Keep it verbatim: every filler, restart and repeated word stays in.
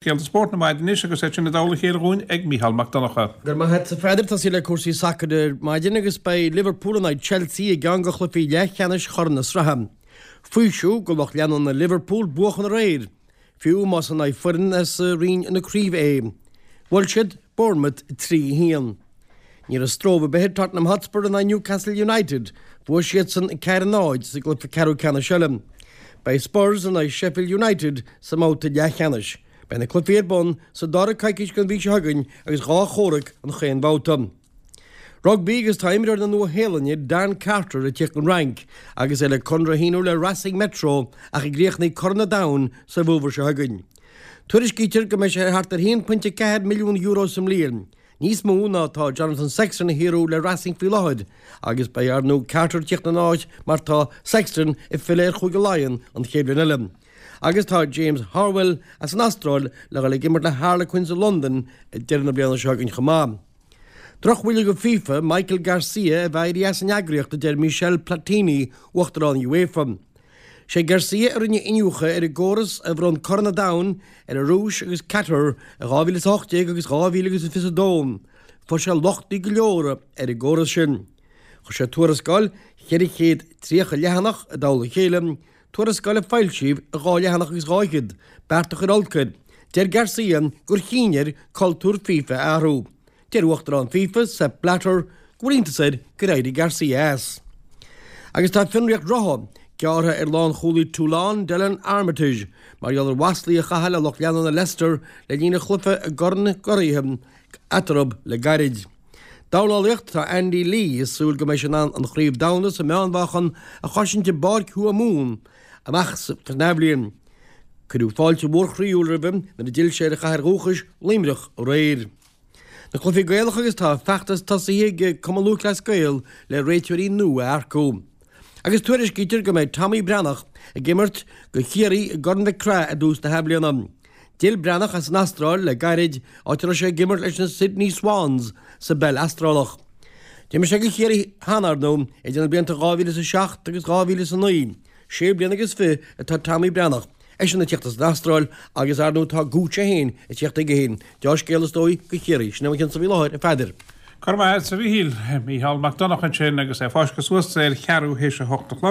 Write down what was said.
Scéalta spóirt na maidine anois agus é sin i dtoll a chéile dhúinn ag Mícheál Mac Donncha. Go raibh maith agat a Pheadair, tosaí le cúrsaí sacair ar maidin agus beidh Liverpool in aghaidh Chelsea i gceann de chluichí leathcheannais Chorn na Sraithe. Faoiseamh do lucht leanúna Liverpool buachan aréir, fiú más in aghaidh foireann as roinn na craoibhe é. Bhuail siad Bournemouth trí a haon. Ní raibh stró ar bith ar Tottenham Hotspur in aghaidh Newcastle United, bhuaigh siadsan ceathair a náid sa gcluiche ceathrú ceannais eile. Beidh Spurs in aghaidh Sheffield United sa mbabhta leathcheannais. Beidh na cluichí ar bun sa dara coicís den mhí seo chugainn agus dhá chomhrac an chaon bhabhta. Rugbaí agus tá imreoir na Nua-Shéalainne Dan Carter ag tíocht ón Fhrainc agus é le conradh a shíniú le Racing Metro ach a gcríochnóidh Corn an Domhain sa bhfómhar seo chugainn. Tuairiscítear go mbeidh sé thart ar haon pointe ceathair milliún euro sa mbliain, níos mó ná tá Jonathan Sexton a shaothrú le Racing faoi láthair, agus beidh ar ndóigh Carter tíocht ina áit mar tá Sexton ag filleadh ar Chúige Laighean an chéad bhliain eile. Agus tá James Horwill as an Astráil le dhul ag imirt le Harlequins i Londain ag deireadh na bliana seo chugainn chomh maith. Drochbhuille do FIFA, Michael Garcia a bheith éirithe as an eagraíocht a deir Michel Platini, uachtarán UEFA. Sé Garcia a rinne iniúchadh ar an gcóras a bhronn Corn an Domhain ar an Rúis agus Qatar i dhá mhíle is a hocht déag agus dhá mhíle agus fiche a dó. Fuair sé lochtaí go leor ar an gcóras sin. Chuir sé tuarascáil cheithre chéad tríocha leathanach i dtoll a chéile, tuarascáil a foilsíodh i dhá leathanach agus dhá fhichead, beart a chuir olc air. Deir Garcia gur chinn air cultúr FIFA a athrú. Deir uachtarán FIFA, Sepp Blatter, go bhfuil iontas air gur éirigh Garcia as. Agus tá fionraíocht rotha gearrtha ar lánchúlaí Toulon, Delon Armitage, mar gheall ar mhaslaí a chaitheamh le lucht leanúna Leicester le linn an chluiche i gCorn na gCuraithe eatarthu le gairid. Dornálaíocht, Tá Andy Lee ag súil go mbeidh sé in ann an chraobh domhanda sa meánmheáchan a chosaint i bPáirc Thuamhumhan amach san athbhliain. Cuireadh fáilte mhór chroíúil roimhe nuair a d'fhill sé ar a chathair dhúchais, Luimneach, aréir. Na cluichí Gaelacha agus tá feachtas tosaithe ag Cumann Lúthchleas Gael le réiteoirí nua a earcú. Agus tuairiscítear go mbeidh Tommy Breathnach ag imirt do Chiarraí i gCorn Mhic Craith i dtús na hathbhliana. D'fhill Breathnach as an Astráil le gairid, áit a raibh sé ag imirt leis na Sydney Swans sa bpeil Astrálach. D'imir sé do Chiarraí cheana, ar ndóigh, idir na blianta dhá mhíle is a seacht agus dhá mhíle is a naoi. Sé bliana agus fiche atá Tommy Breathnach, eisean ag tíocht as an Astráil agus, ar ndóigh, tá Gooch é féin ag tíocht chuige féin. Deá-scéal is dóigh do Chiarraí. Sin é mo chionn-sa faoi láthair, a Pheadair. Go raibh maith agat, a Mhíchíl. Mícheál Mac Donncha ansin agus é fáiscthe suas ar cheathrú théis a hocht a chlog.